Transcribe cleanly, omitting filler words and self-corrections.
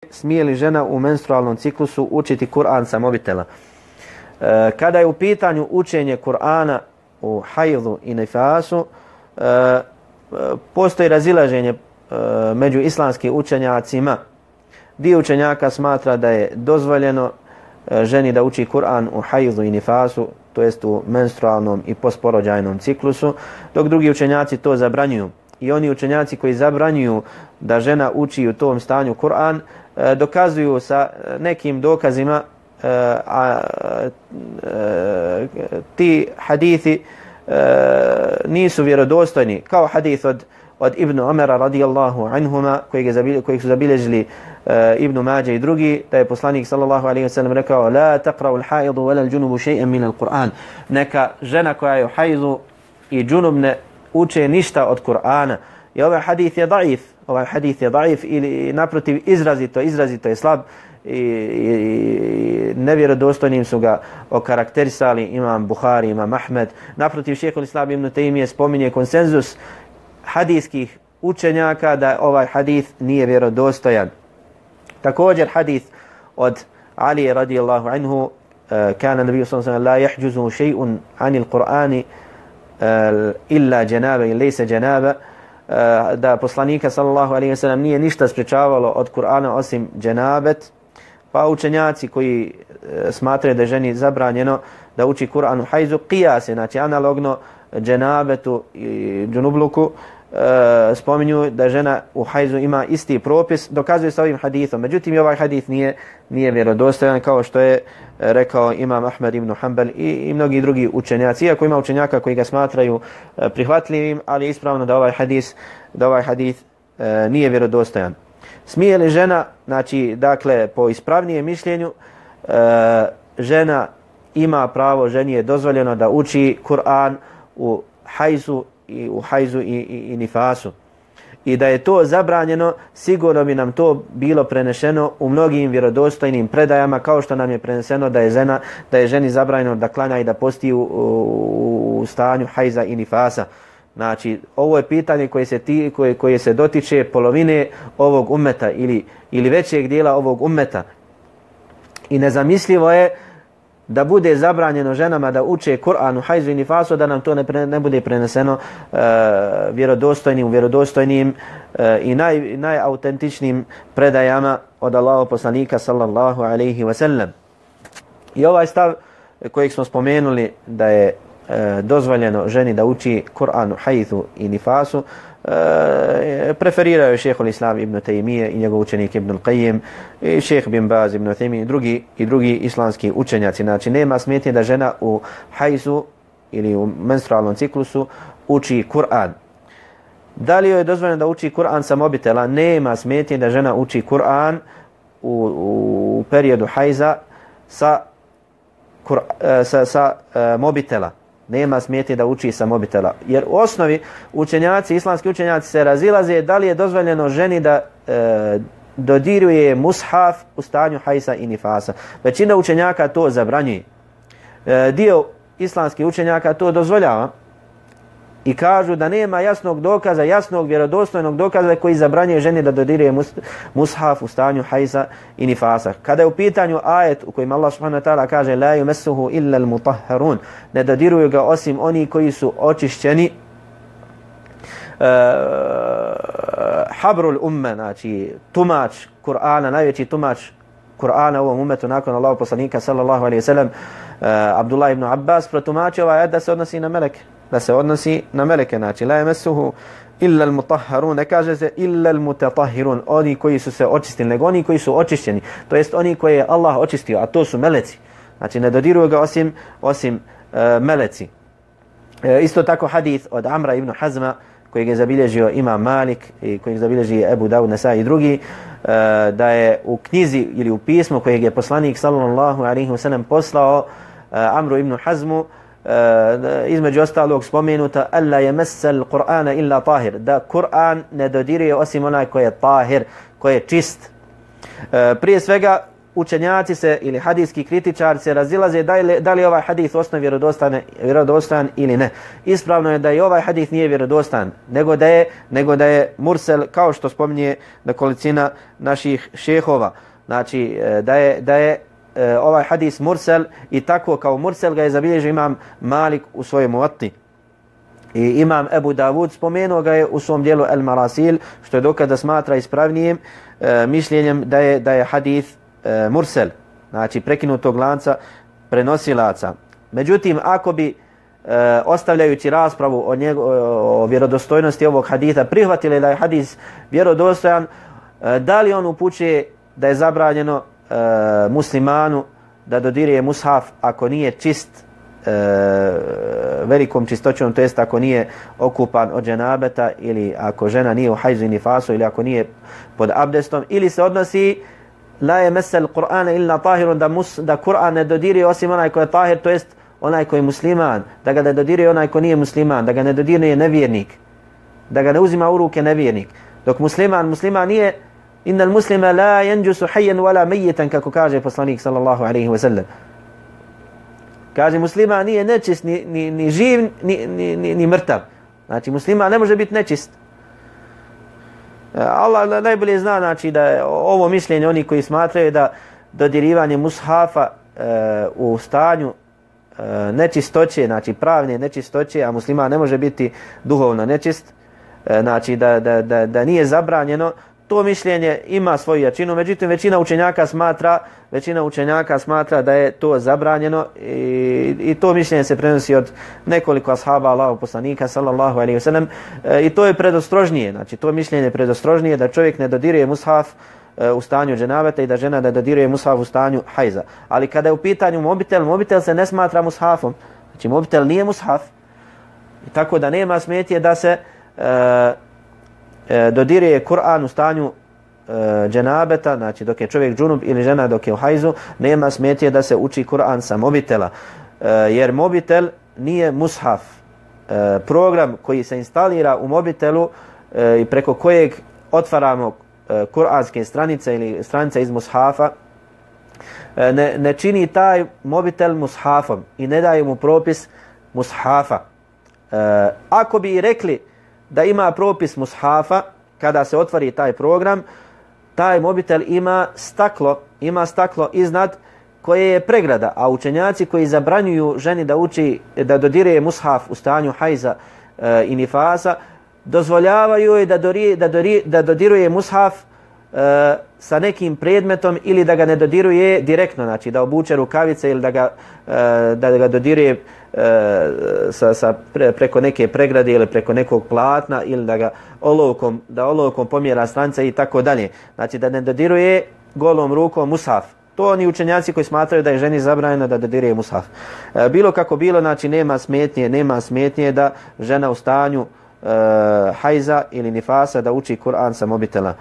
smije li žena u menstrualnom ciklusu učiti Kur'an sa mobitela? Kada je u pitanju učenje Kur'ana u hajdu i nifasu, postoji razilaženje među islamskim učenjacima. Dio učenjaka smatra da je dozvoljeno ženi da uči Kur'an u hajdu i nifasu, to jest u menstrualnom i postporođajnom ciklusu, dok drugi učenjaci to zabranjuju. I oni učenjaci koji zabranjuju da žena uči u tom stanju Kur'an dokazuju sa nekim dokazima, ti hadithi nisu vjerodostojni, kao hadith od Ibn Omera radijallahu anhuma kojeg su zabilježili Ibn Mađe i drugi, da je poslanik sallallahu alejhi ve sellem rekao: la taqra'u al-haidu wala al-junubu shay'an min al-Qur'an. Neka žena koja je u hajzu i džunub ne uče ništa od Kur'ana. I ovaj hadith je daif, ili naprotiv izrazito je slab i nevjerodostojnim su ga okarakterisali imam Buhari, imam Ahmed. Naprotiv, šejhul Islam ibn Tejmije spominje konsenzus hadijskih učenjaka da ovaj hadith nije vjerodostojan. Također hadith od Ali radijallahu anhu, kana nabiju sallallahu alejhi ve sellem la yahjuzu shay'un anil Qur'ani illa janaba i laysa janaba, da poslanika sallallahu alejhi ve sellem nije ništa sprečavalo od Kur'ana osim dženabet. Pa učenjaci koji smatraju da je ženi zabranjeno da uči Kur'an u hajzu, qiyase, znači analogno dženabetu i džunubluku, spominju da žena u hajzu ima isti propis, dokazuje sa ovim hadithom. Međutim, i ovaj hadith nije vjerodostojan, kao što je rekao imam Ahmed ibn Hanbal i mnogi drugi učenjaci. Iako ima učenjaka koji ga smatraju prihvatljivim, ali je ispravno da ovaj hadith nije vjerodostojan. Smije li žena, znači, dakle, po ispravnijem mišljenju, žena ima pravo, ženi je dozvoljeno da uči Kur'an u hajzu i nifasu. I da je to zabranjeno, sigurno bi nam to bilo prenešeno u mnogim vjerodostojnim predajama, kao što nam je preneseno da je ženi zabranjeno da klanja i da posti u stanju hajza i nifasa. Znači, ovo je pitanje koje se dotiče polovine ovog ummeta ili većeg dijela ovog ummeta. I nezamislivo je da bude zabranjeno ženama da uče Kur'an u hajzu i nifasu, da nam to ne bude preneseno vjerodostojnim i najautentičnim predajama od Allahov poslanika sallallahu alejhi ve sellem. I ovaj stav kojeg smo spomenuli da je dozvoljeno ženi da uči Kur'an u hajzu i nifasu, preferiraju šejhul Islam ibn Tejmije i njegov učenik Ibn Qayyim i šejh bin Baz ibn Uthaymin i drugi islamski učenjaci. Znači, nema smetnje da žena u hajzu ili u menstrualnom ciklusu uči Kur'an. Da li joj je dozvoljeno da uči Kur'an sa mobitela? Nema smetnje da žena uči Kur'an u periodu hajza sa mobitela. Nema smetnje da uči sa mobitela. Jer u osnovi islamski učenjaci se razilaze da li je dozvoljeno ženi da dodiruje mushaf u stanju hajsa i nifasa. Većina učenjaka to zabranjuje. Dio islamskih učenjaka to dozvoljava i kažu da nema jasnog vjerodostojnog dokaza koji zabranjuje ženi da dodiruje mushaf u stanju hajsa i nifasa. Kada je u pitanju ajet u kojem Allah subhanahu wa ta'ala kaže la yumassuhu illa al-mutahharun, ne dodiruju ga osim oni koji su očišćeni, habrul umme, znači tumač Kur'ana, najveći tumač Kur'ana u ovom umetu nakon Allahov poslanika sallallahu alejhi ve sellem, Abdullah ibn Abbas, protumačio ovaj ajet da se odnosi na meleke. Znači, la yamassuhu illa al-mutahharun, ne kaže se illa al-mutatahhirun, oni koji su se očistili, nego oni koji su očišćeni, to jest oni koje je Allah očistio, a to su meleci. Znači, ne dodiruju ga osim meleci. Isto tako hadith od Amra ibn Hazma, kojeg je zabilježio imam Malik i kojeg zabilježi Ebu Davud, Nesai i drugi, da je u knjizi ili u pismu kojeg je poslanik sallallahu alejhi ve sellem poslao Amru ibn Hazmu, između ostalog spomenuta alla yamassal Qur'ana illa tahir, da Kur'an ne dodiruje osim onaj koji je tahir, koji je čist. Prije svega učenjaci se ili hadijski kritičari se razilaze da li ovaj hadis osnov vjerodostojan ili ne. Ispravno je da i ovaj hadis nije vjerodostan, nego da je mursel, kao što spominje nekolicina naših šehova. Znači da je ovaj hadis mursel i tako kao mursel ga je zabilježio imam Malik u svojoj Muvatti. I imam Ebu Davud spomenuo ga je u svom dijelu El Marasil, što je dokaz da smatra ispravnijim mišljenjem da je hadis mursel, znači prekinutog lanca prenosilaca. Međutim, ako bi ostavljajući raspravu o vjerodostojnosti ovog haditha prihvatili da je hadis vjerodostojan, da li on upućuje da je zabranjeno muslimanu da dodiruje mushaf ako nije čist velikom čistoćom, to jest ako nije okupan od dženabeta ili ako žena nije u hajzu i nifasu ili ako nije pod abdestom, ili se odnosi la yemessel Kur'ana illa tahirun, da Kur'an ne dodiruje osim onaj ko je tahir, to jest onaj ko je musliman, da ga ne dodiruje onaj ko nije musliman, da ga ne dodiruje nevjernik, da ga ne uzima u ruke nevjernik. Dok musliman nije, innal muslima la yanjusu hayyan wala mayitan, kako kaže poslanik sallallahu alejhi ve sellem. Kaže musliman nije nečist ni živ ni mrtav. Znači musliman ne može biti nečist. Allah najbolje zna, znači, da je ovo mišljenje oni koji smatraju da dodirivanje mushafa u stanju nečistoće, znači pravne nečistoće, a musliman ne može biti duhovno nečist, znači da nije zabranjeno, to mišljenje ima svoju jačinu. Međutim, većina učenjaka smatra da je to zabranjeno i to mišljenje se prenosi od nekoliko ashaba Allahov poslanika sallallahu alejhi ve sellem i to je predostrožnije. Znači to mišljenje je predostrožnije da čovjek ne dodiruje mushaf u stanju dženabeta i da žena ne dodiruje mushaf u stanju hajza. Ali kada je u pitanju mobitel se ne smatra mushafom. Znači mobitel nije mushaf. I tako da nema smetnje da se dodiruje Kur'an u stanju dženabeta, znači dok je čovjek džunub ili žena dok je u hajzu, nema smetnje da se uči Kur'an sa mobitela, jer mobitel nije mushaf. Program koji se instalira u mobitelu i preko kojeg otvaramo kur'anske stranice ili stranice iz mushafa, ne čini taj mobitel mushafom i ne daje mu propis mushafa. Ako bi i rekli da ima propis mushafa, kada se otvori taj program, taj mobitel ima staklo iznad koje je pregrada, a učenjaci koji zabranjuju ženi da dodiruje mushaf u stanju hajza i nifasa, dozvoljavaju joj da dodiruje mushaf sa nekim predmetom ili da ga ne dodiruje direktno, znači da obuče rukavice ili da ga dodiruje preko neke pregrade ili preko nekog platna ili da ga olovkom pomjera stranice i tako dalje. Znači da ne dodiruje golom rukom mushaf. To oni učenjaci koji smatraju da je ženi zabranjeno da dodiruje mushaf. Bilo kako bilo, znači nema smetnje da žena u stanju hajza ili nifasa da uči Kur'an sa mobitela.